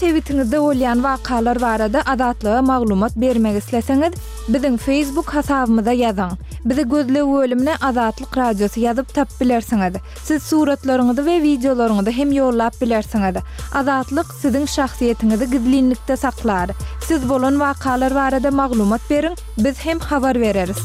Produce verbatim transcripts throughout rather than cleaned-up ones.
sebitiňizde bolýan wakalar barada Azatlyga maglumat bermek isleseňiz, biziň Facebook hasabymyza ýazyň. Bizi gözleg bölümine Azatlyk Radiosy ýazyp tapyp bilersiňiz. Siz suratlaryňyzy we wideolaryňyzy hem ýollap bilersiňiz. Azatlyk siziň şahsyýetiňizi gizlinlikde saklar. Siz bolan wakalar barada maglumat beriň, biz hem habar bereris.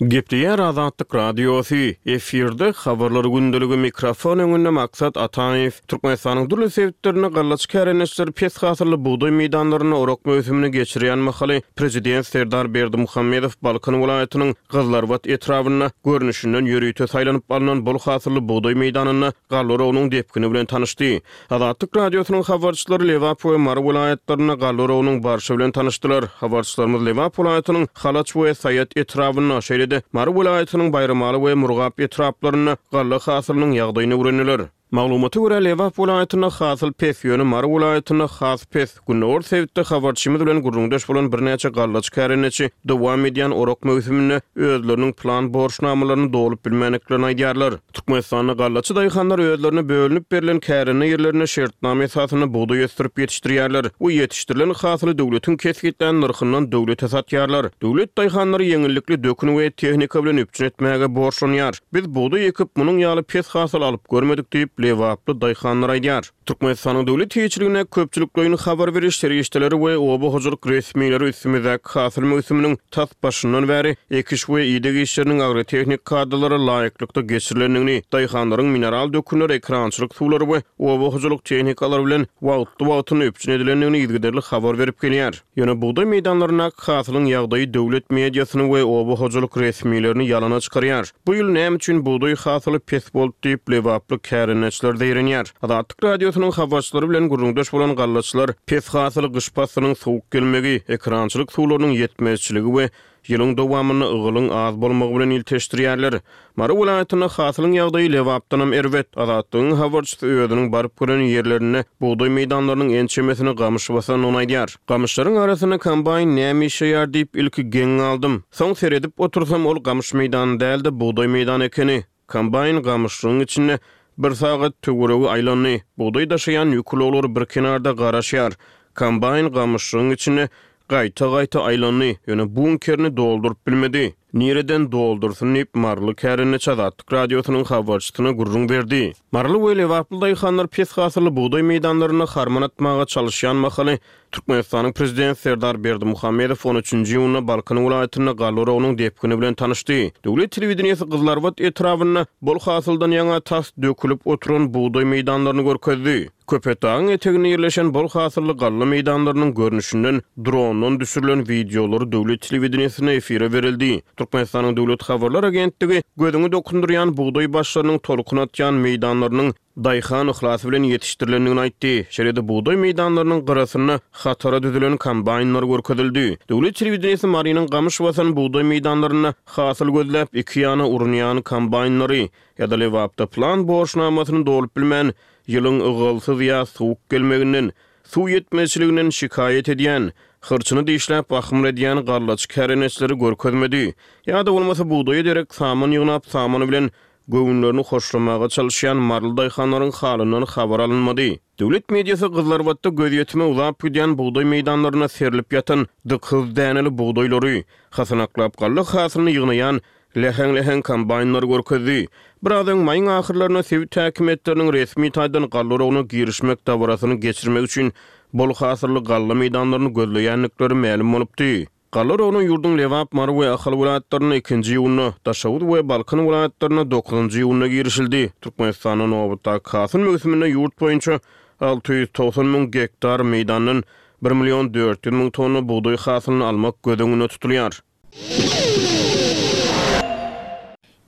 Gepleýär Azatlyk Radiosy, efirde habarlar gündeligi mikrofon öňünde Maksat Ataýew. Türkmenistanyň dürli sebitlerinde gallaçy kärendeçiler pes hasylly bugdaý meýdanlarynda orak möwsümini geçirýän mahaly Prezident Serdar Berdimuhamedow Balkan welaýatynyň Gyzlarbat etrabynda görnüşinden ýörite saýlanyp alnan bol hasylly bugdaý meýdanynda galla oragynyň depgini bilen tanyşdy. Azatlyk Radiosynyň habarçylary Lebap we Mary welaýatlarynda galla oragynyň barşy bilen tanyşdylar. Habarçylarymyz Lebap welaýatynyň Halaç we Saýat etrabynda, şeýle-de Mary welaýatynyň Baýramaly we Murgap etraplarynda galla hasylynyň ýagdaýyny öwrendiler. Maglumata görä, Lebap welaýatynda hasyl pes, ýöne Mary welaýatynda has pes. Gündogar sebitde habarçymyz bilen gürrüňdeş bolan birnäçe gallaçy kärendeçi dowam edýän orak möwsüminde özleriniň plan borçnamalaryny dolup bilmändiklerini aýdýarlar. Türkmenistanda gallaçy daýhanlar özlerine bölünip berlen kärende ýerlerinde şertnama esasynda bugdaý ösdürip ýetişdirýärler we ýetişdirilen hasyly döwletiň kesgitlän nyrhyndan döwlete satýarlar. Döwlet daýhanlary ýeňillikli dökün we tehnika bilen üpjün etmäge borçlanýar. Biz bugdaý ekip, munuň ýaly pes hasyl alyp görmedik diýip, lebaply daýhanlar aýdýar. Türkmenistanyň döwlet eýeçiligindäki köpçülikleýin habar beriş serişdeleri we oba hojalyk resmileri üstümizdäki hasyl möwsüminiň tas başyndan bäri ekiş we ideg işleriniň agrotehnik kadalara laýyklykda geçirilendigini, daýhanlaryň mineral dökünler, ekerançylyk suwlary we oba hojalyk tehnikalary bilen wagtly-wagtynda üpjün edilendigini yzygiderli habar berip gelýär. Ýöne bugdaý meýdanlaryndaky hasylyň ýagdaýy döwlet mediasyny we oba hojalyk resmilerini ýalana çykarýar. Bu ýyl näme üçin bugdaý hasyly pes boldy diýip, lebaply kärendeçiler zeýrenýär. Azatlyk Radiosynyň habarçylary bilen gürrüňdeş bolan gallaçylar pes hasyly gyş paslynyň sowuk gelmegi, ekerançylyk suwlarynyň ýetmezçiligi we ýylyň dowamynda ygalyň az bolmagy bilen ilteşdirýärler. Mary welaýatynda hasylyň ýagdaýy Lebapdanam erbet. Azatlygyň habarçysy özüniň baryp gören ýerlerinde bugdaý meýdanlarynyň ençemesini gamyş basandygyny aýdýar. Gamyşlaryň arasynda kombaýn näme işleýär diýip ilki geň galdym. Soň seredip otursam ol gamyş meýdany däl-de bugdaý meýdany ekeni. Kombaýn gamyşlygyň içinde bir sagat töweregi aýlandy. Bugdaý daşaýan ýük ulaglary bir kenarda garaşýar. Kombaýn gamyşlygyň içinde gaýta-gaýta aýlandy, ýöne bunkerini dolduryp bilmedi. Nireden doldursyn diýip, maryly kärendeçi Azatlyk Radiosynyň habarçysyna gürrüň berdi. Maryly we lebaply daýhanlar pes hasylly bugdaý meýdanlarynda harman atmaga çalyşýan mahaly Türkmenistanyň Prezidenti Serdar Berdimuhamedow on üçünji iýunda Balkan welaýatynda galla oragynyň depgini bilen tanyşdy. Döwlet telewideniýesi Gyzlarbat etrabynda bol hasyldan ýaňa tas dökülip oturan bugdaý meýdanlaryny görkezdi. Köpetdagyň eteginde ýerleşen bol hasylly galla meýdanlarynyň görnüşinden drondan düşürilen wideolary döwlet telewideniýesinde efire berildi. Türkmenistanyň Döwlet habarlar agentligi gözüňi dokundyrýan bugdaý başlarynyň tolkun atýan meýdanlarynyň daýhan yhlasy bilen ýetişdirilendigini aýtdy. Şeýle-de bugdaý meýdanlarynyň gyrasynda hatara düzülen kombaýnlar görkezildi. Döwlet telewideniýesi Marynyň gamyş basan bugdaý meýdanlarynda hasyl gözläp iki ýana urunýan kombaýnlary ýa-da Lebapda plan borçnamasyny dolup bilmän ýylyň ygalsyz ýa sowuk gelmeginden, suw ýetmezçiliginden şikaýat edýän, hyrçyny dişläp ahmyr edýän gallaçy kärendeçileri görkezmedi. Ýa-da bolmasa bugdaýa derek saman ýygnap samany bilen göwünlerini hoşlamaga çalyşýan maryly daýhanlaryň halyndan habar alynmady. Döwlet mediasy Gyzlarbatda gözýetime uzap gidýän bugdaý meýdanlaryna serilip ýatan dykyz däneli bugdaýlary, hasanaklap galla hasylyny ýygnaýan läheň-läheň kombaýnlary görkezdi. Biraz öň maýyň ahyrlarynda sebit häkimiýetleriniň resmi taýdan galla oragyna girişmek dabarasyny geçirmek üçin bol hasylly galla meýdanlaryny gözleýändikleri mälim bolupdy. Galla oragyna ýurduň Lebap, Mary we Ahal welaýatlarynda ikinji iýunda, Daşoguz we Balkan welaýatlarynda dokuzynjy iýunda girişildi. Türkmenistanda nobatdaky hasyl möwsüminde ýurt boýunça alty ýüz togsan müň gektar meýdandan bir million dört ýüz müň tonna bugdaý hasylyny almak göz öňünde tutulýar.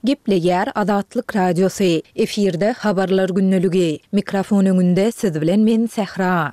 Gepleýär Azatlyk Radiosy. Efirde habarlar gündeligi. Mikrofon öňünde siz bilen men Sähra.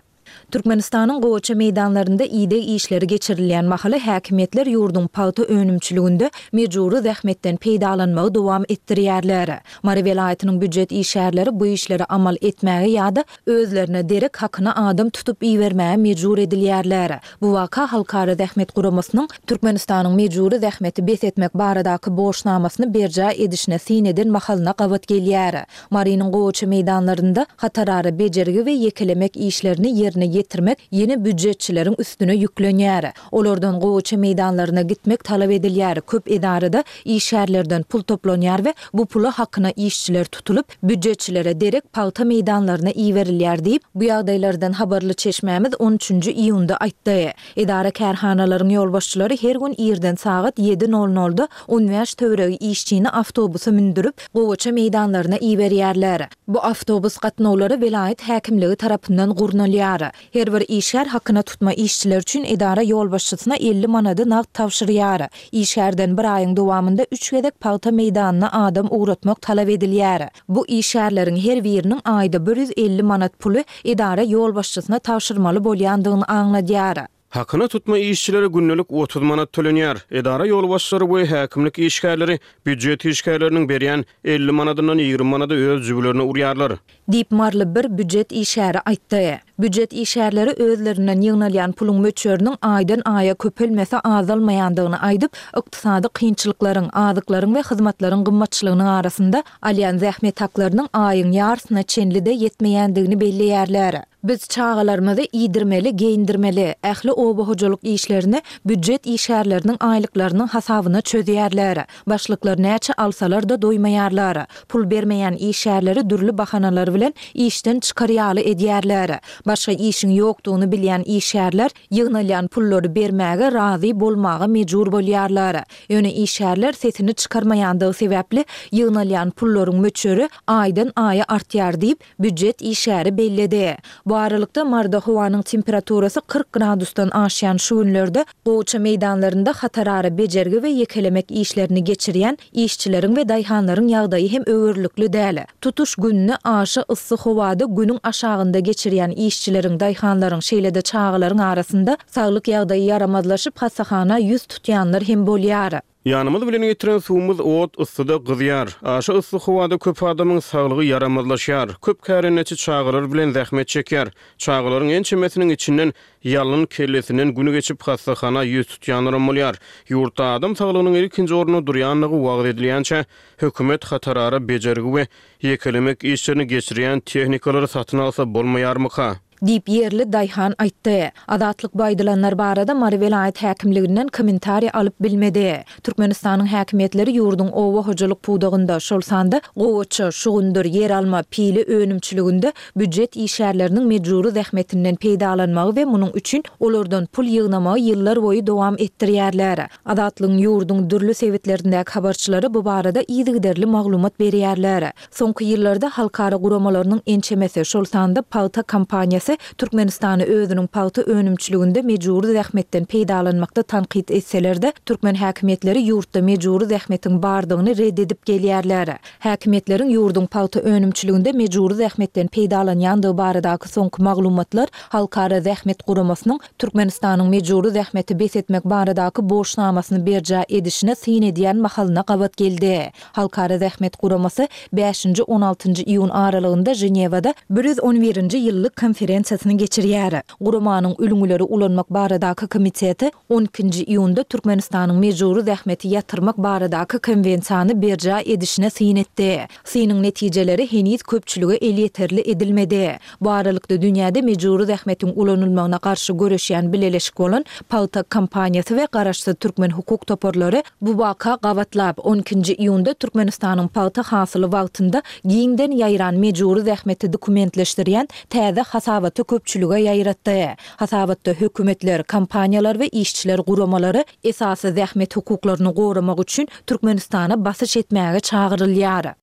Türkmenistanyň gowaça meýdanlarynda ideg işleri geçirilýän mahaly häkimiýetler ýurduň pagta önümçiliginde mejbury zähmetden peýdalanmagy dowam etdirýärler. Mary welaýatynyň býujet işgärleri bu işleri amal etmäge ýa-da özlerine derek hakyna adam tutup ibermäge mejbur edilýärler. Bu waka Halkara zähmet guramasynyň Türkmenistanyň mejbury zähmeti bes etmek baradaky borçnamasyny berjaý edişine syn eden mahalyna gabat gelýär. Marynyň gowaça meýdanlarynda hatarara bejergi we ýekelemek işlerini ýerine ýetirmek ýene býujetçileriň üstüne ýüklenýär. Olardan gowaça meýdanlaryna gitmek talap edilýär. Köp edarada işgärlerden pul toplanýar we bu pula hakyna işçiler tutulyp, býujetçilere derek pagta meýdanlaryna iberilýär diýip, bu ýagdaýlardan habarly çeşmämiz on üçünji iýunda aýtdy. Edara kärhanalaryň ýolbaşçylary her gün irden sagat ýedi nol nolda on bäş töweregi işçini awtobusa mündürip, gowaça meýdanlaryna iberýärler. Bu awtobus gatnawlary welaýat häkimligi tarapyndan gurnalýar. Her bir işgär hakyna tutma işçiler üçin edara ýolbaşçysyna elli manady nagt tabşyrýar. Işgärden bir aýyň dowamynda üç gezek pagta meýdanyna adam ugratmak talap edilýär. Bu işgärleriň her biriniň aýda bir ýüz elli manat puly edara ýolbaşçysyna tabşyrmaly bolýandygyny aňladýar. Hakyna tutma işçilere gündelik otuz manat tölenýär. Edara ýolbaşçylary we häkimlik işgärleri býujet işgärleriniň berýän elli manadyndan ýigrimi manady öz jübülerine urýarlar. Diýip Marly bir býujet işgäri aýtdy. Býujet işgärleri özlerinden ýygnalýan puluň möçberiniň aýdan aýa köpelmese azalmaýandygyny aýdyp, ykdysady kynçylyklaryň, azyklaryň we hyzmatlaryň gymmatçylygynyň arasynda alýan zähmet haklarynyň aýyň ýarsyna çenli-de ýetmeýändigini belleýärler. Biz çagalarymyzy iýdirmeli, geýindirmeli, ähli oba hojalyk işlerini býujet işgärleriniň aýlyklarynyň hasabyna çözýärler. Başlyklar näçe alsalar-da doýmaýarlar. Pul bermeýän işgärleri dürli bahanalar bilen işden çykar ýaly edýärler. Başga işiň ýokdugyny bilýän işgärler ýygnalýan pullary bermäge razy bolmaga mejbur bolýarlar. Ýöne işgärler sesini çykarmaýandygy sebäpli ýygnalýan pullaryň möçberi aýdan aýa artýar diýip, býujet işgäri belledi. Bu aralykda Marda howanyň temperaturasy kyrk gradusdan aşýan şu günlerde gowaça meýdanlarynda hatarara bejergi we ýekelemek işlerini geçirýän işçileriň we daýhanlaryň ýagdaýy hem öwürlikli däl. Tutuş gününi aşa yssy howada günüň aşagynda geçirýän işçileriň, daýhanlaryň, şeýle-de çagalaryň arasynda saglyk ýagdaýy ýaramazlaşyp, hassahana ýüz tutýanlar hem bolýar. Ýanymyz bilen getiren suwumyz ot yssyda gyzýar. Aşa yssy howada köp adamyň saglygy ýaramazlaşýar. Köp kärendeçi çagalar bilen zähmet çekýär. Çagalaryň ençemesiniň içinden ýalyn kellesinden günü geçip hassahana ýüz tutýanlaram bolýar. Ýurtda adam saglygynyň ilkinji ornunda durýanlygy wagyz edilýänçä, hökümet hatarara bejergi we ýekelemek işlerini geçirýän tehnikalary satyn alsa bolmaýarmyka? Diýip ýerli daýhan aýtdy. Azatlyk bu aýdylanlar barada Mary welaýat häkimliginden kommentariý alyp bilmedi. Türkmenistanyň häkimiýetleri ýurduň oba hojalyk pudagynda, şol sanda gowaça, şugundyr, ýer alma, pili önümçiliginde býujet işgärleriniň mejbury zähmetinden peýdalanmagy we munuň üçin olardan pul ýygnamagy ýyllar boýy dowam etdirýärler. Azatlygyň ýurduň dürli sebitlerindäki habarçylary bu barada yzygiderli maglumat berýärler. Soňky ýyllarda halkara guramalarynyň ençemesi, şol sanda pagta kompaniýasy Türkmenistany özüniň pagta önümçiliginde mejbury zähmetden peýdalanmakda tankyt etseler-de, türkmen häkimiýetleri ýurtda mejbury zähmetiň bardygyny red edip gelýärler. Häkimiýetleriň ýurduň pagta önümçiliginde mejbury zähmetden peýdalanýandygy baradaky soňky maglumatlar Halkara zähmet guramasynyň Türkmenistanyň mejbury zähmeti bes etmek baradaky borçnamasyny berjaý edişine syn edýän mahalyna gabat geldi. Halkara zähmet guramasy bäşinji on altynjy iýun aralygynda Ženewada bir ýüz on birinji ýyllyk konferensiýasyny geçirýär. Guramanyň ülňüleri ulanmak baradaky komiteti on ikinji iýunda Türkmenistanyň mejbury zähmeti ýatyrmak baradaky konwensiýany berjaý edişine syn etdi. Synyň netijeleri heniz köpçülige elýeterli edilmedi. Bu aralykda dünýäde mejbury zähmetiň ulanylmagyna garşy göreşýän bileleşik bolan Pagta kompaniýasy we garaşsyz türkmen hukuk toparlary bu waka gabatlap on ikinji iýunda Türkmenistanyň pagta hasyly wagtynda giňden ýaýran mejbury zähmeti dokumentleşdirýän täze hasabaty köpçülige ýaýratdy. Hasabatda hökümetler, kompaniýalar we işçiler guramalary esasy zähmet hukuklaryny goramak üçin Türkmenistana basyş etmäge çagyrylýar.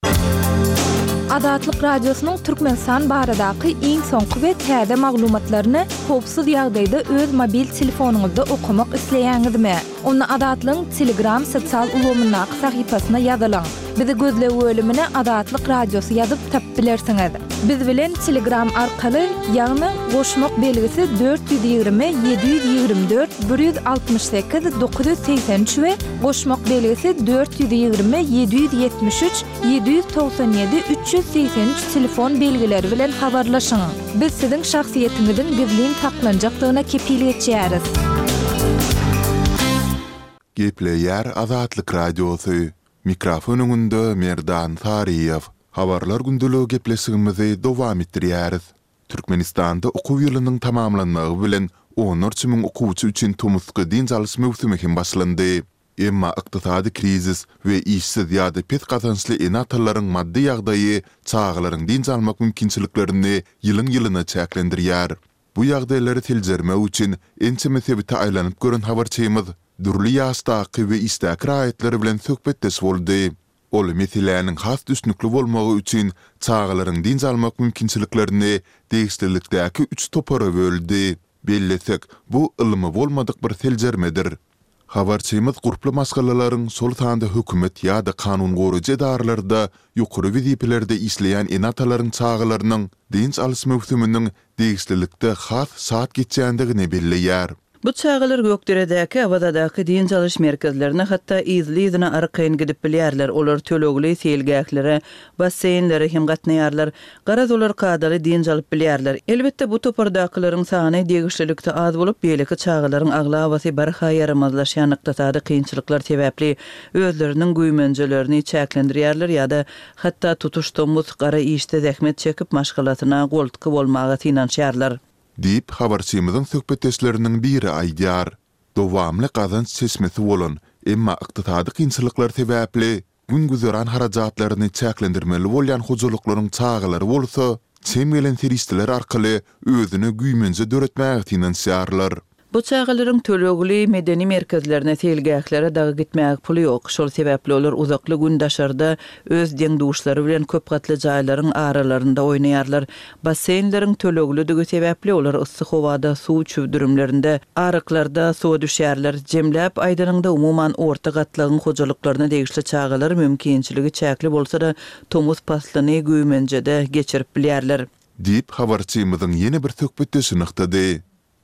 Azatlyk Radiosynyň Türkmenistan baradaky iň soňky we täze maglumatlaryny howpsuz ýagdaýda öz mobil telefonyňyzda okamak isleýäňizmi? Onda Azatlygyň Telegram sosial ulgamyndaky sahypasyna ýazylyň. Bizi gözleg bölümine Azatlyk Radiosy ýazyp tapyp bilersiňiz. Biz bilen Telegram arkaly, ýagny goşmak belgisi dört ýüz ýigrimi ýedi ýüz ýigrimi dört bir ýüz altmyş sekiz dokuz ýüz segsen üç we goşmak belgisi dört ýüz ýigrimi ýedi ýüz ýetmiş üç ýedi ýüz togsan ýedi üç ýüz segsen üç telefon belgileri bilen habarlaşyň. Biz siziň şahsyýetiňiziň gizlin saklanjakdygyna kepil geçýäris. Gepleýär Azatlyk Radiosy, Mikrofon öňünde Merdan Saryýew. Habarlar gündeligi gepleşigimizi dowam etdirýäris. Türkmenistanda okuw ýylynyň tamamlanmagy bilen onlarça müň okuwçy üçin tomusky dynç alyş möwsümi hem başlandy. Emma ykdysady krizis we işsiz ýa-da pes gazançly ene-atalaryň maddy ýagdaýy çagalaryň dynç almak mümkinçiliklerini ýylyň-ýylyna çäklendirýär. Bu ýagdaýlary seljermek üçin ençeme sebite aýlanyp gören habarçymyz dürli ýaşdaky we işdäki raýatlar bilen söhbetdeş boldy. Ol meseläniň has düşnükli bolmagy üçin çagalaryň dynç almak mümkinçiliklerini degişlilikdäki üç topara böldi. Bellesek, bu ylmy bolmadyk bir seljermedir. Habarçymyz gurply maşgalalaryň, şol sanda hökümet ýa-da kanun goraýjy edaralarda ýokary wezipelerde işleýän ene-atalaryň çagalarynyň dynç alyş möwsüminiň degişlilikde has şat geçýändigini belleýär. Bu çagalar Gökderedäki, Awazadaky dynç alyş merkezlerine hatda yzly-yzyna arkaýyn gidip bilýärler, olar tölegli seýilgählere, basseýnlere hem gatnaýarlar. Garaz, olar kadaly dynç alyp bilýärler. Elbetde, bu topardakylaryň sany degişlilikde az bolup, beýleki çagalaryň aglabasy barha ýaramazlaşýan ykdysady kynçylyklar sebäpli özleriniň güýmenjelerini çäklendirýärler ýa-da hatda tutuş tomus gara işde zähmet çekip, maşgalasyna goltgy bolmaga synanyşýarlar. Diýip, habarçymyzyň söhbetdeşleriniň biri aýdýar. Dowamly gazanç çeşmesi bolan, emma ykdysady kynçylyklar sebäpli gün-güzeran harajatlaryny çäklendirmeli bolýan hojalyklaryň çagalary bolsa, çem gelen serişdeler arkaly özüne güýmenje döretmäge synanyşýarlar. Bu çagalaryň tölegli medeni merkezlerine, seýilgählere dagy gitmäge puly ýok. Şol sebäpli olar uzakly gün daşarda öz deň-duşlary bilen köp gatly jaýlaryň aralarynda oýnaýarlar. Basseýnleriň töleglidigi sebäpli olar yssy howada suw çüwdürimlerinde, aryklarda suwa düşýärler. Jemläp aýdanyňda, umuman, orta gatlagyň hojalyklaryna degişli çagalar mümkinçiligi çäkli bolsa-da, tomus paslyny güýmenjede geçirip bilýärler. Diýip, habarçymyzyň ýene bir söhbetdeşi nygtady.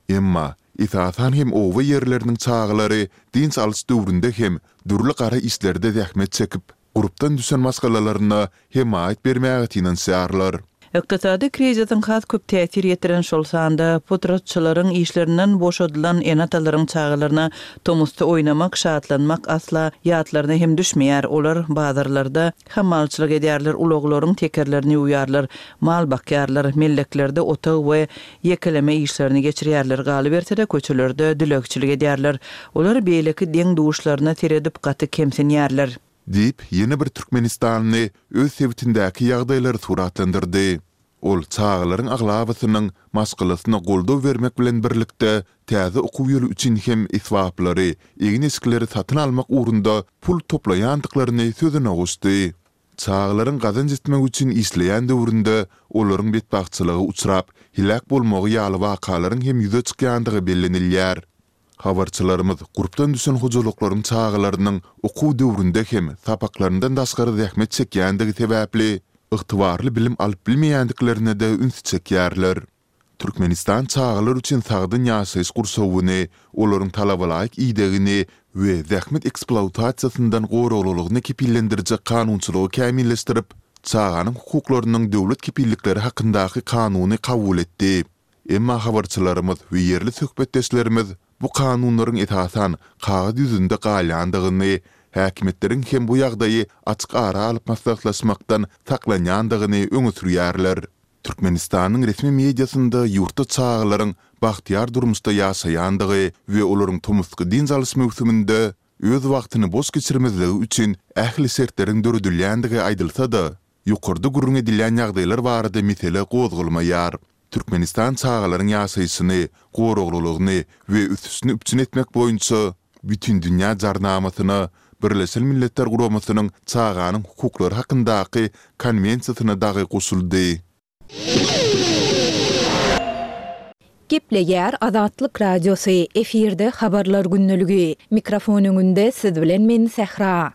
Emma, esasan hem oba ýerleriniň çagalary dynç alyş döwründe hem dürli gara işlerde zähmet çekip, gurpdan düşen maşgalalaryna hemaýat bermäge synanyşýarlar. Ykdysady krizisiň has köp täsir ýetiren, şol sanda potratçylaryň işlerinden boşadylan ene-atalaryň çagalaryna tomusda oýnamak, şatlanmak asla ýatlaryna hem düşmeýär. Olar bazarlarda hammalçylyk edýärler, ulaglaryň tekerlerini ýuwýarlar, mal bakýarlar, melleklerde otag we ýekeleme işlerini geçirýärler, galyberse-de, köçelerde dilegçilik edýärler. Olar beýleki deň-duşlaryna seredip gaty kemsinýärler. Diýip, ýene bir türkmenistanly öz sebitindäki ýagdaýlary suratlandyrdy. Ol çagalaryň aglabasynyň maşgalasyna goldaw bermek bilen birlikde, täze okuw ýyly üçin hem esbaplary, egin-eşikleri satyn almak ugrunda pul toplaýandyklaryny sözüne goşdy. Çagalaryň gazanç etmek üçin işleýän döwründe olaryň betbagtçylyga uçrap, heläk bolmagy ýaly wakalaryň hem ýüze çykýandygy bellenilýär. Habarçylarymyz gurpdan düşen hojalyklaryň çagalarynyň okuw döwründe hem sapaklaryndan daşgary zähmet çekýändigi sebäpli, ygtybarly bilim alyp bilmeýändiklerine-de ünsi çekýärler. Türkmenistan çagalar üçin sagdyn ýaşaýyş gurşawyny, olaryň talabalaýyk idegini we zähmet ekspluatasiýasyndan goraglylygyny kepillendirjek kanunçylygy kämilleşdirip, Çaganyň hukuklarynyň döwlet kepillikleri hakyndaky kanuny kabul etdi. Emma habarçylarymyz we ýerli söhbetdeşlerimiz bu kanunlaryň esasan kagyz ýüzünde galýandygyny, häkimiýetleriň hem bu ýagdaýy açyk ara alyp maslahatlaşmakdan saklanýandygyny öňe sürýärler. Türkmenistanyň resmi mediasynda ýurtda çagalaryň bagtyýar durmuşda ýaşaýandygy we olaryň tomusky dynç alyş möwsüminde öz wagtyny boş geçirmezligi üçin ähli şertleriň döredilýändigi aýdylsa-da, ýokarda gürrüň edilýän ýagdaýlar barada mesele gozgalmaýar. Türkmenistan çagalaryň ýaşaýşyny, goraglylygyny we ösüşini üpjün etmek boýunça Bütindünýä Jarnamasyna, Birleşen Milletler Guramasynyň Çaganyň hukuklary hakyndaky Konwensiýasyna dagy goşuldy. Gepleýär Azatlyk Radiosy, efirde Habarlar gündeligi. Mikrofon öňünde siz bilen men Sähra.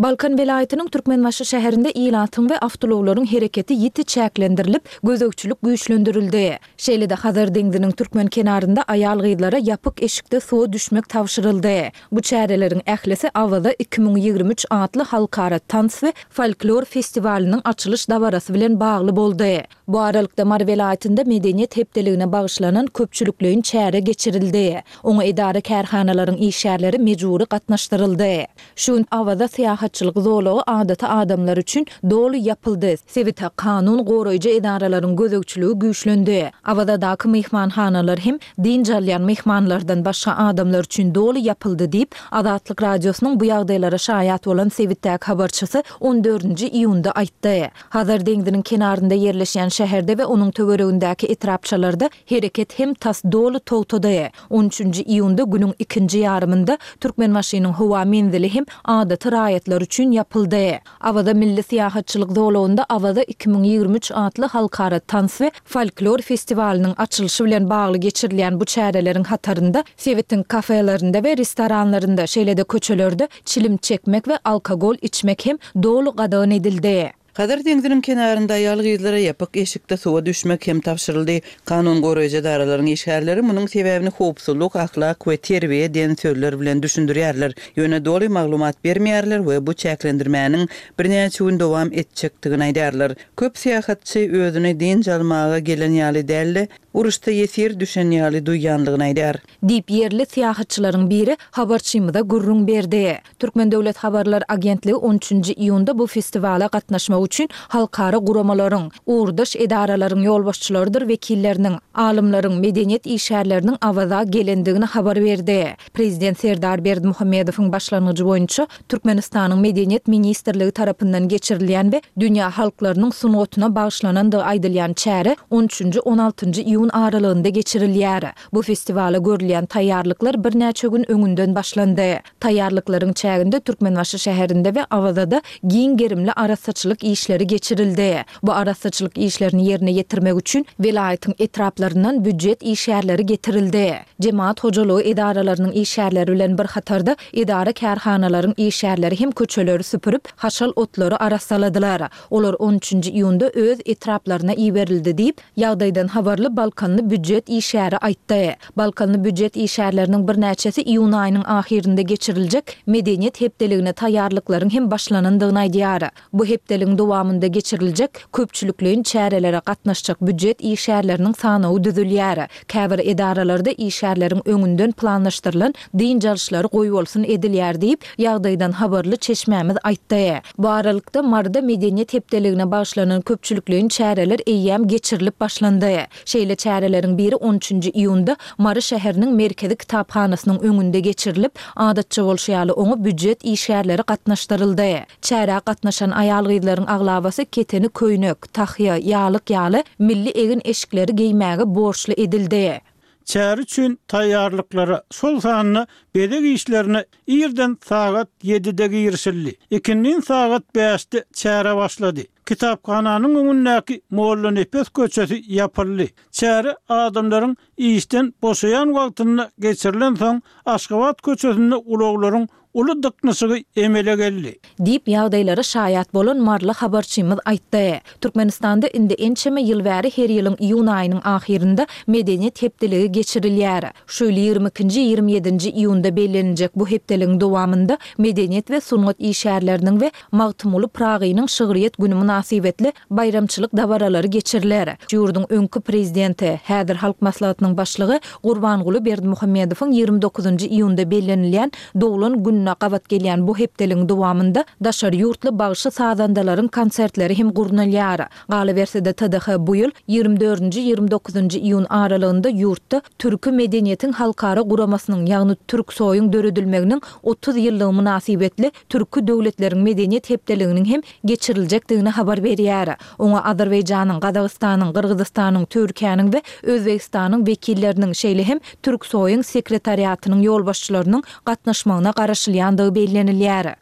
Balkan welaýatynyň Türkmenbaşy şäherinde ilatyň we awtoulaglaryň hereketi ýiti çäklendirilip, gözegçilik güýçlendirildi. Şeýle-de Hazar deňziniň türkmen kenarynda aýal-gyzlara ýapyk eşikde suwa düşmek tabşyryldy. Bu çäreleriň ählisi Awaza iki müň ýigrimi üç atly halkara tans we folklor festiwalynyň açylyş dabarasy bilen bagly boldy. Bu aralykda, Mary welaýatynda Medeniýet hepdeligine bagyşlanan köpçülikleýin çäre geçirildi. Oňa edara-kärhanalaryň işgärleri mejbury gatnaşdyryldy. Şu gün Awaza syýahatçylyk zolagy adaty adamlar üçin doly ýapyldy, sebite kanun goraýjy edaralaryň gözegçiligi güýçlendi. Awazadaky myhmanhanalar hem dynç alýan myhmanlardan başga adamlar üçin doly ýapyldy diýip, Azatlyk Radiosynyň bu ýagdaýlara şaýat bolan sebitdäki habarçysy on dördünji iýunda aýtdy. Hazar deňziniň kenarynda ýerleşýän şäherde we onuň töweregindäki etrapçalarda hereket hem tas doly togtady. On üçünji iýunda günüň ikinji ýarymynda Türkmenbaşynyň howa menzili hem adaty raýatlar üçin ýapyldy. Awaza milli syýahatçylyk zolagynda Awaza iki müň ýigrimi üç atly halkara tans we folklor festiwalynyň açylyşy bilen bagly geçirilýän bu çäreleriň hatarynda sebitiň kafelerinde we restoranlarynda, şeýle-de köçelerde çilim çekmek we alkogol içmek hem doly gadagan edildi. Hazar deňziniň kenarynda aýal-gyzlara ýapyk eşikde suwa düşmek hem tabşyryldy. Kanun goraýjy edaralaryň işgärleri munuň sebäbini howpsuzlyk, ahlak we terbiýe diýen sözler bilen düşündirýärler. Ýöne doly maglumat bermeýärler we bu çäklendirmäniň birnäçe gün dowam etjekdigini aýdýarlar. Köp syýahatçy özüni dynç almaga gelen ýaly däl-de, uruşda ýesir düşen ýaly duýýandygyny aýdýar. Diýip, ýerli syýahatçylaryň biri habarçymyza gürrüň berdi. Türkmen döwlet habarlar agentligi on üçünji iýunda bu festiwala gatnaşmak üçin halkara guramalaryň, ugurdaş edaralaryň ýolbaşçylarydyr wekilleriniň, alymlaryň, medeniýet işgärleriniň Awaza gelendigini habar berdi. Prezident Serdar Berdimuhamedowyň başlangyjy boýunça Türkmenistanyň Medeniýet ministrligi tarapyndan geçirilýän we dünýä halklarynyň sungatyna bagyşlanandygy aýdylýan çäre on üçünji, on altynjy iýun aralygynda geçirilýär. Bu festiwala görülýän taýýarlyklar birnäçe gün öňünden başlandy. Taýýarlyklaryň çäginde Türkmenbaşy şäherinde we Awazada giň gerimli arassaçylyk işleri geçirildi. Bu arassaçylyk işlerini ýerine ýetirmek üçin welaýatyň etraplaryndan býujet işgärleri getirildi. Jemagat hojalygy edaralarynyň işgärleri bilen bir hatarda edara-kärhanalaryň işgärleri hem köçeleri süpürip, haşal otlary arassaladylar. Olar on üçünji iýunda öz etraplaryna iberildi diýip, ýagdaýdan habarly balkanly býujet işgäri aýtdy. Balkanly býujet işgärleriniň birnäçesi iýun aýynyň ahyrynda geçiriljek Medeniýet hepdeligine taýýarlyklaryň hem başlanandygyny aýdýar. Bu hepdeligiň dowamynda geçiriljek köpçülikleýin çärelere gatnaşjak býujet işgärleriniň sanawy düzülýär. Käbir edaralarda işgärleriň öňünden planlaşdyrylan dynç alyşlary goýbolsun edilýär diýip, ýagdaýdan habarly çeşmämiz aýtdy. Bu aralykda, Maryda Medeniýet hepdeligine bagyşlanan köpçülikleýin çäreler eýýäm geçirilip başlandy. Şeýle çäreleriň biri on üçünji iýunda Mary şäheriniň merkezi kitaphanasynyň öňünde geçirilip, adatça bolşy ýaly oňa býujet işgärleri gatnaşdyryldy. Çärä gatnaşan aýal-gyzlaryň aglabasy keteni köýnek, tahýa, ýalyk ýaly milli egin-eşikleri geýmäge borçly edildi. Çäre üçin taýýarlyklara, şol sanda bezeg işlerine irden sagat ýedide girişildi. Ikindin sagat bäşde çäre başlady. Kitaphananyň öňündäki Mollanepes köçesi ýapyldy. Çäre adamlaryň işden boşaýan wagtynda geçirilensoň, Aşgabat köçesinde ulaglaryň uly dyknyşygy emele geldi. Diýip, ýagdaýlara şaýat bolan maryly habarçymyz aýtdy. Türkmenistanda indi ençeme ýyl bäri her ýylyň iýun aýynyň ahyrynda Medeniýet hepdeligi geçirilýär. Şu ýyl ýigrimi ikinji, ýigrimi ýedinji iýunda belleniljek bu hepdeligiň dowamynda medeniýet we sungat işgärleriniň we Magtymguly Pyragynyň şygryýet güni mynasybetli baýramçylyk dabaralary geçiriler. Ýurduň öňki Prezidenti, häzir Halk Maslahatynyň Başlygy Gurbanguly Berdimuhamedowyň ýigrimi dokuzynjy iýunda bellenilýän doglan gününe gabat gelýän bu hepdeligiň dowamynda daşary ýurtly bagşy-sazandalaryň konsertleri hem gurnalýar. Galyberse-de, T D H bu ýyl ýigrimi dördünji, ýigrimi dokuzynjy iýun aralygynda ýurtda Türki medeniýetiň halkara guramasynyň, ýagny Türksoýyň döredilmeginiň otuz ýyllygy mynasybetli Türki döwletleriň medeniýet hepdeliginiň hem geçiriljekdigini habar berýär. Oňa Azerbaýjanyň, Gazagystanyň, Gyrgyzystanyň, Türkiýäniň we Özbegistanyň wekilleriniň, şeýle hem Türksoýyň sekretariatynyň ýolbaşçylarynyň gatnaşmagyna garaşylýandygy bellenilýär.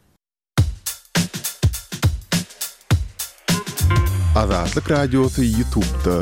Azatlyk Radiosy YouTube'da.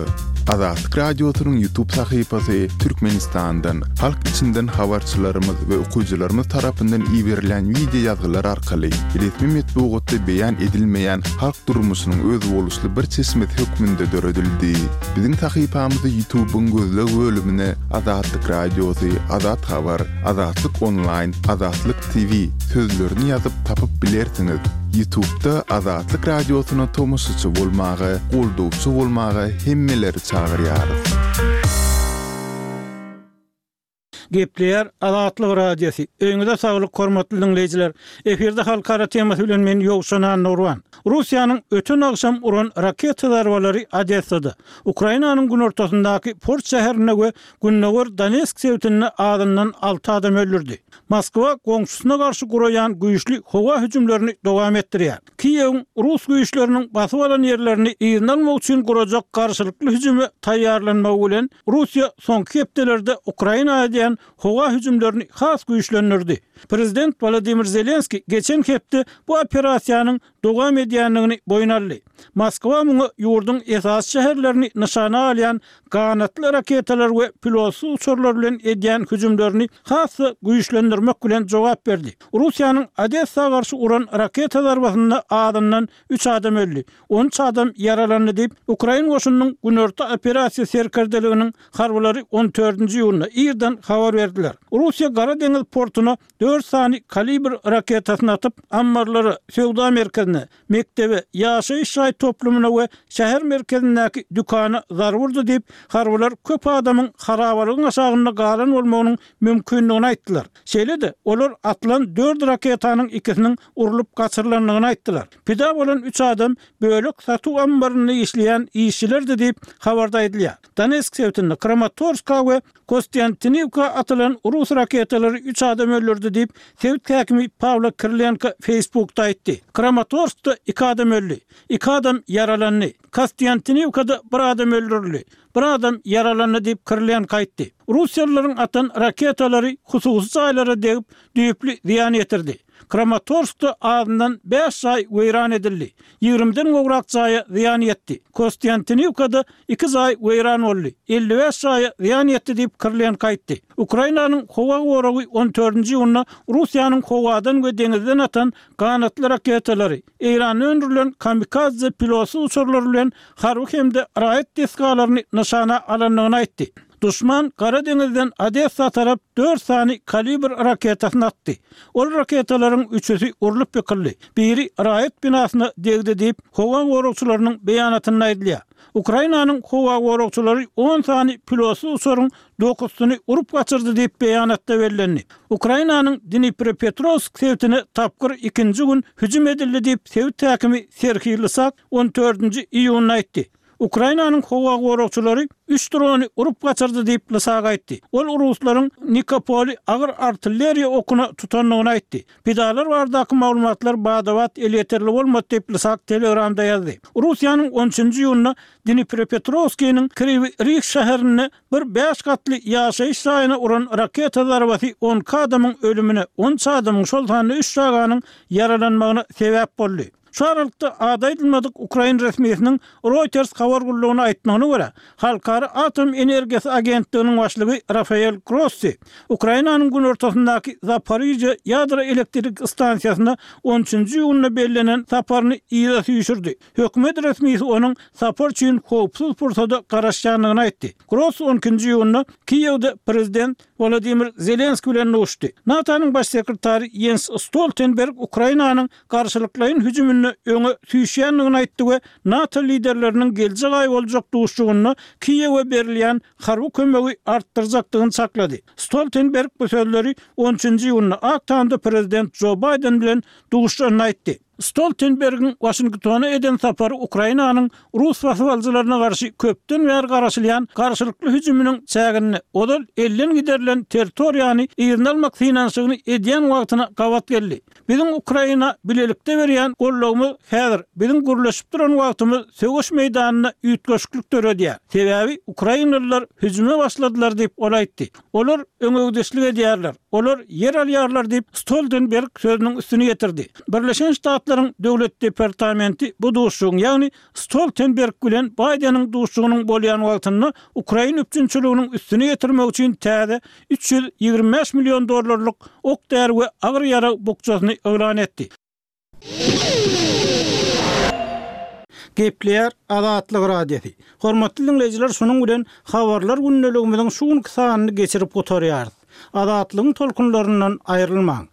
Azatlyk Radiosynyň YouTube sahypasy Türkmenistandan, halk içinden habarçylarymyz we okyjylarymyz tarapyndan iberilýän wideo ýazgylar arkaly resmi metbugatda beýan edilmeýän halk durmuşynyň özboluşly bir çeşmesi hökmünde döredildi. Biziň sahypamyzy YouTube-yň gözleg bölümine Azatlyk Radiosy, Azat Habar, Azatlyk Onlaýn, Azatlyk T V sözlerini ýazyp tapyp bilersiňiz. YouTube-da Azatlyk Radiosyna tomaşaçy bolmaga, goldawçy bolmaga hemmeleri çagyrýarys. Gepleýär Azatlyk Radiosy. Öýüňize saglyk hormatly dinleýjiler. Efirde halkara temasy bilen men Ýowşan Annurwan. Russiýanyň öten agşam uran raketa zarbalary Odessada, Ukrainanyň günortasyndaky port şäherinde we Gündogar Donetsk sebitinde azyndan alty adam öldürdi. Moskwa goňşusyna garşy guraýan güýçli howa hüjümlerini dowam etdirýär. Kiýewiň rus güýçleriniň basyp alan ýerlerini yzyna almak üçin gurajak garşylykly hüjüme taýýarlanmagy bilen Russiýa soňky hepdelerde Ukraina edýän howa hüjümlerini has güýçlendirdi. Prezident Wladimir Zelenski geçen hepde bu operasiýanyň dowam edýändigini boýun aldy. Moskwa muňa ýurduň esasy şäherlerini nyşana alýan ganatly raketalar we pilotsyz uçarlar bilen edýän hüjümlerini has güýçlendirmek bilen jogap berdi. Russiýanyň Odessa garşy uran raketa zarbasynda azyndan üç adam öldi. on üç adam ýaralandy diýip, Ukrain goşunynyň günorta operasiýa serkerdeliginiň harbylary on dördünji iýunda irden habar berdiler. Russiýa Gara deňiz portuna dört sany kalibr raketasyny atyp, ammarlara, söwda merkezine, mekdebe, ýaşaýyş jaý toplumyna we şäher merkezindäki dükana zarba urdy diýip, harbylar köp adamyň harabalygyň aşagynda galan bolmagynyň mümkindigini aýtdylar. Şeýle-de, olar atylan dört raketanyň ikisiniň urlup gaçyrylandygyny aýtdylar. Pida bolan üç adam bölek satuw ammarynda işleýän işçilerdi diýip habarda aýdylýar. Donetsk sebitinde Kramatorska we Kostyantinivka atylan rus raketalary üç adam öldürdi diýip, sebit häkimi Pawlo Kirilenko Facebookda aýtdy. Kramatorskda iki adam öldi, iki adam ýaralandy. Kostyantinivkada bir adam öldürildi, bir adam ýaralandy diýip Kirilenko aýtdy. Russiýalylaryň atan raketalary hususy jaýlara degip, düýpli zyýan ýetirdi. Kramatorskda azyndan bäş jaý weýran edildi. Ýigrimden gowrak jaýa zyýan ýetdi. Kostyantinivkada iki jaý weýran boldy. elli bäş jaýa zyýan ýetdi diýip Kirilenko aýtdy. Ukrainanyň howa goragy on dördünji iýunda Russiýanyň howadan we deňizden atan ganatly raketalary, Eýranda öndürilen kamikadze pilotsyz uçarlary bilen harby hem-de raýat desgalaryny nyşana alandygyny aýtdy. Duşman Gara deňizden Odessa tarap dört sany kalibr raketasyny atdy. Ol raketalaryň üçüsi urlup ýykyldy. Biri raýat binasyna degdi diýip, howa goragçylarynyň beýanatynda aýdylýar. Ukrainanyň howa goragçylary on sany pilotsyz uçaryň dokuzysyny urup gaçyrdy diýip beýanatda bellendi. Ukrainanyň Dnipropetrowsk sebitine tapgyr ikinji gün hüjüm edildi diýip sebit häkimi Serhiý Lysak on dördünji iýunda aýtdy. Ukrainanyň howa goragçylary üç drony urup gaçyrdy diýip Lysak aýtdy. Ol ruslaryň Nikopoli agyr artilleriýa okuna tutandygyny aýtdy. Pidalar baradaky maglumatlar badabat elýeterli bolmady diýip Lysak Telegramda ýazdy. Russiýanyň on üçünji iýunda Dnipropetrowskiniň Kriwi Rih şäherinde bir bäş gatly ýaşaýyş jaýyna uran raketa zarbasy on iki adamyň ölümine, on üç adamyň, şol sanda üç çaganyň ýaralanmagyna sebäp boldy. Şu aralykda ady aýdylmadyk Ukrain resmisiniň Reuters habar gullugyna aýtmagyna görä, Halkara Atom Energiýasy Agentliginiň başlygy Rafael Grossi Ukrainanyň günortasyndaky Zaporižýa ýadro elektrik stansiýasyna on üçünji iýunda bellenen saparyny yza süýşürdi. Hökümet resmisi onuň sapar üçin howpsuz pursada garaşýandygyny aýtdy. Grossi on ikinji iýunda Kiýewde prezident Wladimir Zelenski bilen duşdy. NATO-nyň baş sekretary Jens Stoltenberg Ukrainanyň garşylyklaýyn hüjüminde öňe süýşýändigini aýtdy we NATO liderleriniň geljek aý boljak duşuşygynda Kiýewe berilýän harby kömegi artdyrjakdygyny çaklady. Stoltenberg bu sözleri on üçünji iýunda Ak Tamda prezident Jo Baýden bilen duşuşanda aýtdy. Stoltenbergiň Waşingtona eden sapary Ukrainanyň rus basybalyjylaryna garşy köpden bäri garaşylýan garşylykly hüjüminiň çäginde ozal elden giderilen territoriýany yzyna almak synanyşygyny edýän wagtyna gabat geldi. Biziň Ukraina bilelikde berýän gollagymyz häzir biziň gürleşip duran wagtymyz söweş meýdanynda üýtgeşiklik döredýär. Sebäbi ukrainalylar hüjüme başladylar diýip ol aýtdy. Olar öňegidişlik edýärler. Olar ýer alýarlar diýip, Stoltenberg sözüniň üstüni ýetirdi. Birleşen Ştatlaryň Döwlet departamenti bu duşuşygyň, ýagny Stoltenberg bilen Baýdeniň duşuşygynyň bolýan wagtynda ukrain üpjünçiliginiň üstüni ýetirmek üçin täze üç ýüz ýigrimi bäş million dollarlyk ok-däri we agyr ýarag bukjasyny yglan etdi. Gepleýär Azatlyk Radiosy. Hormatly diňleýjiler şunuň bilen Habarlar gündeligimiziň şu günki sanyny geçirip gutarýarys. Azatlygyň tolkunlaryndan aýrylmaň.